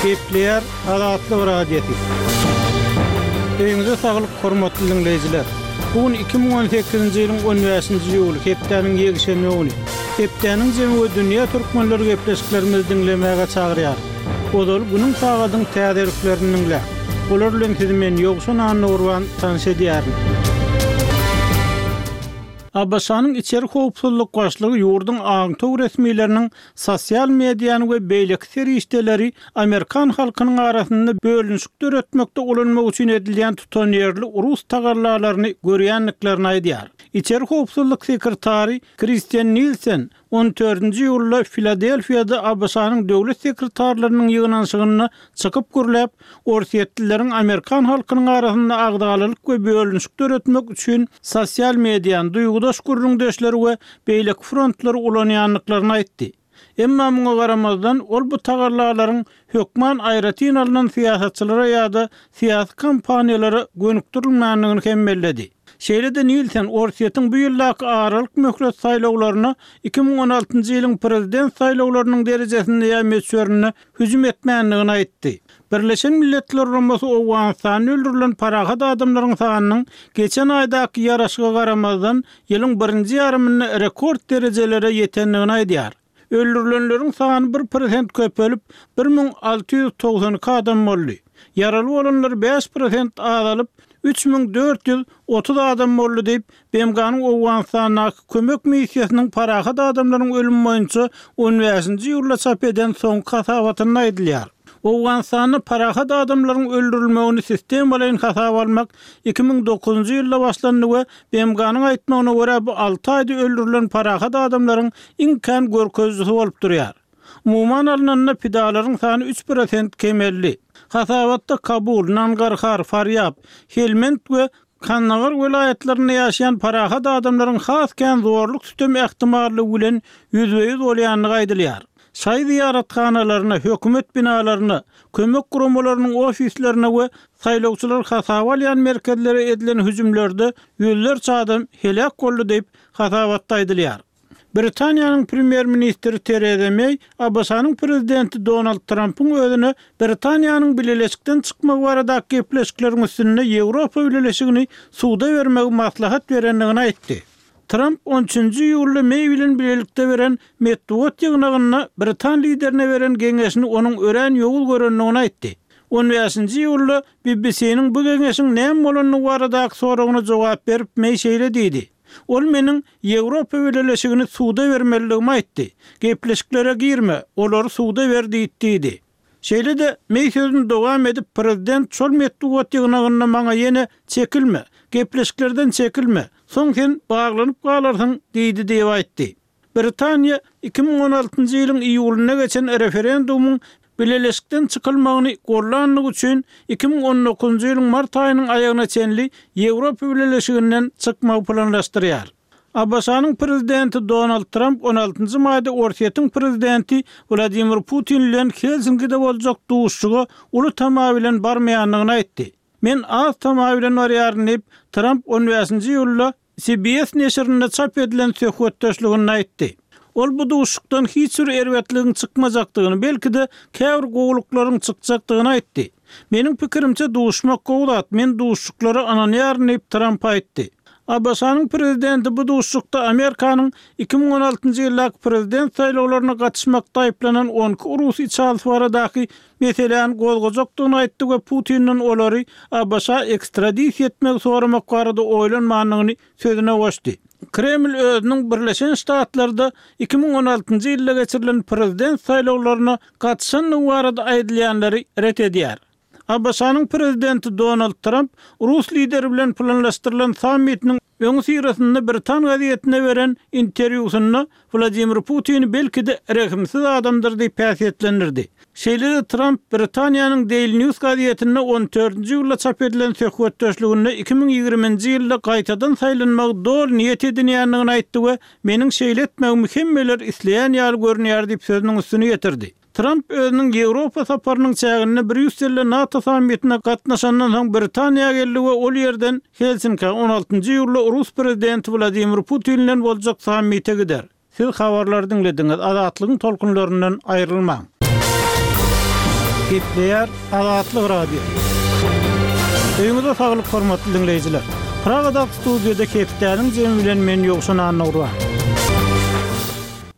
Gepleýär Azatlyk Radiosy. Öýüňize saglyk, hormatly diňleýjiler! Bu gün 2018-nji ýylyň on bäşinji iýuly, hepdäniň ýekşenbe güni. Hepdäniň jemi we dünýä türkmenleri gepleşiklerimizi diňlemäge çagyrýarys. Ozal günüň sagadyň täzeliklerini diňläň. Olar bilen sizi men Ýowşan Annagurban tanyş edýärin. ABŞ-nyň içeri howpsuzlyk başlygy ýurduň aňtaw resmileriniň sosial mediany we beýleki serişdeleri amerikan halkynyň arasynda bölünişik döretmekde ulanmak üçin edilýän tutanýerli rus tagallalaryny görýändiklerini aýdýar. Içeri howpsuzlyk sekretary Kristian Nilsen On dördünji iýulda Filadelfiýada ABŞ-nyň döwlet sekretarlarynyň ýygnanyşygynda çykyp gürläp, orsýetlileriň amerikan halkynyň arasynda agzalalyk we bölünişik döretmek üçin sosial mediany, duýgudaş gürrüňdeşleri we beýleki frontlary ulanýandyklaryny aýtdy. Emma muňa garamazdan, ol bu tagallalaryň hökman aýratyn alnan syýasatçylara ýa-da syýasy kampaniýalara gönükdirilmändigini hem belledi. Şeýle-de Nilsen Orsýetiň bu ýyldaky aralyk möhlet saýlawlaryna 2016-njy ýylyň prezident saýlawlarynyň derejesinde ýa möçberinde hüjüm etmändigini aýtdy. Birleşen Milletler Guramasy Owganystanda öldürilen parahat adamlaryň sanynyň geçen aýdaky ýaraşyga garamazdan, ýylyň birinji ýarymynda rekord derejelere ýetendigini aýdýar. Öldürilenleriň sany bir prosent köpelip, 1692 adam boldy. Ýaraly bolanlar 5 prosent azalyp, 3430 adam boldy diýip, BMG-niň Owganystandaky kömek missiýasynyň parahat adamlaryň ölümi boýunça on bäşinji iýulda çap eden soňky hasabatynda aýdylýar. Owganystanda parahat adamlaryň öldürilmegini sistemalaýyn hasaba almak 2009-njy ýylda başlandy we BMG-niň aýtmagyna görä, bu alty aýda öldürilen parahat adamlaryň iň kän görkezijisi bolup durýar. Umuman alnanda, pidalaryň sany 3 prosent kemeldi. Hasabatda Kabul, Nangarhar, Farýab, Helmend we Kandahar welaýatlarynda ýaşaýan parahat adamlaryň has kän zorluk-sütem ähtimallygy bilen ýüzbe-ýüz bolýandygy aýdylýar. Şaýy zyýarathanalaryna, hökümet binalaryna, kömek guramalarynyň ofislerine we saýlawçylary hasaba alýan merkezlere edilen hüjümlerde ýüzlerçe adam heläk boldy diýip, hasabatda aýdylýar. Britaniýanyň premýer-ministri Tereza Meý ABŞ-nyň prezidenti Donald Trampyň özüne Britaniýanyň bileleşikden çykmagy baradaky gepleşikleriň üstünde Ýewropa Bileleşigini suda bermegi maslahat berendigini aýtdy. Tramp on üçünji iýulda Meý bilen bilelikde beren metbugat ýygnagynda britan liderine beren geňeşini onuň örän ýowuz görendigini aýtdy. On bäşinji iýulda BBC-niň bu geňeşiň näme bolandygy baradaky soragyna jogap berip, Meý şeýle diýdi, Ol meniň Ýewropa Bileleşigini suda bermelidigimi aýtdy. Gepleşiklere girme, olary suda ber diýip diýdi. Şeýle-de, Meý sözüni dowam edip, prezident şol metbugat ýygnagynda maňa ýene Çekilme, gepleşiklerden çekilme, soň sen baglanyp galarsyň diýdi diýip aýtdy. Britaniýa 2016-njy ýylyň iýulynda geçen referendumyň Bileleşikden çykylmagyny gollandygy üçin 2019-njy ýylyň mart aýynyň aýagyna çenli Ýewropa Bileleşiginden çykmagy planlaşdyrýar. ABŞ-nyň prezidenti Donald Tramp on altynjy maýda Orsýetiň prezidenti Wladimir Putin bilen Helsinkide boljak duşuşyga uly tama bilen barmaýandygyny aýtdy. Men az tama bilen barýaryn diýip, Tramp on bäşinji iýulda CBS neşirinde çap edilen söhbetdeşliginde aýtdy. Ol bu duşuşykdan hiç bir erbetligiň çykmajakdygyny, belki-de, käbir gowulyklaryň çykjakdygyny aýtdy. Meniň pikirimçe, duşmak gowy zat, men duşuşyklara ynanýaryn diýip, Tramp aýtdy. ABŞ-nyň prezidenti bu duşuşykda Amerikanyň 2016-njy ýyldaky prezident saýlawlaryna gatyşmakda aýyplanan on iki rus içalysy baradaky meseläni gozgajakdygyny aýtdy we Putinden olary ABŞ-a ekstradisiýa etmegi soramak barada oýlanmandygyny sözüne goşdy. Kreml özüniň Birleşen Ştatlarda 2016-njy ýylda geçirilen prezident saýlawlaryna gatyşandygy barada aýdylýanlary ret edýär. ABŞ-nyň prezidenti Donald Tramp rus lideri bilen planlaşdyrylan sammitiniň öňüsyrasynda britan gazetine beren interwýusynda Wladimir Putini belki-de rehimsiz adamdyr diýip häsiýetlendirdi. Şeýle-de Tramp Britaniýanyň Daily News gazetinde on dördünji iýulda çap edilen söhbetdeşliginde 2020-nji ýylda gaýtadan saýlanmagy doly niýet edinýändigini aýtdy we Meniň şeýle etmegimi hemmeler isleýän ýaly görünýär diýip sözüniň üstüni ýetirdi. Tramp özüniň Ýewropa saparynyň çäginde Brýusselde NATO sammitine gatnaşandan soň Britaniýa geldi we ol ýerden Helsinkä on altynjy iýulda rus prezidenti Wladimir Putin bilen boljak sammite gider. Siz habarlary diňlediňiz, Azatlygyň tolkunlaryndan aýrylmaň. Gepleýär Azatlyk Radiosy. Öýüňize saglyk hormatly diňleýjiler. Pragadaky studiýada hepdäniň jemi bilen men Ýowşan Annagurban.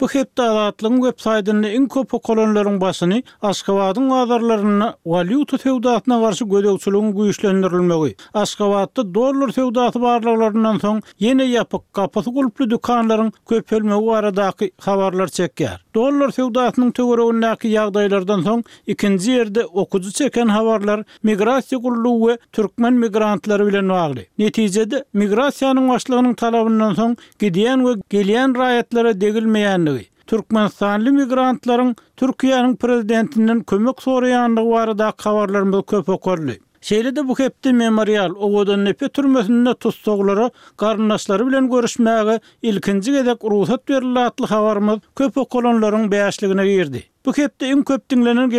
Bu hepde Azatlygyň web saýtynda iň köp okalanlaryň başyny Aşgabadyň bazarlarynda walýuta söwdasyna garşy gözegçiligiň güýçlendirilmegi, Aşgabatda dollar söwdasy barlaglaryndan soň ýene ýapyk, gapysy gulply dükanlaryň köpelmegi baradaky habarlar çekýär. Dollar söwdasynyň töweregindäki ýagdaýlardan soň ikinji ýerde okyjy çeken habarlar migrasiýa gullugy we türkmen migrantlary bilen bagly. Netijede, migrasiýanyň başlygynyň talabyndan soň gidýän we gelýän raýatlara degilmeýändigi, türkmenistanly migrantlaryň Türkiýäniň prezidentinden kömek soraýandygy baradaky habarlarymyz köp okaldy. Şeýle-de bu hepde Memorial Owadandepe türmesinde tussaglara garyndaşlary bilen görüşmäge ilkinji gezek rugsat berildi atly habarymyz köp okalanlaryň bäşligine girdi. Bu hepde iň köp diňlenen.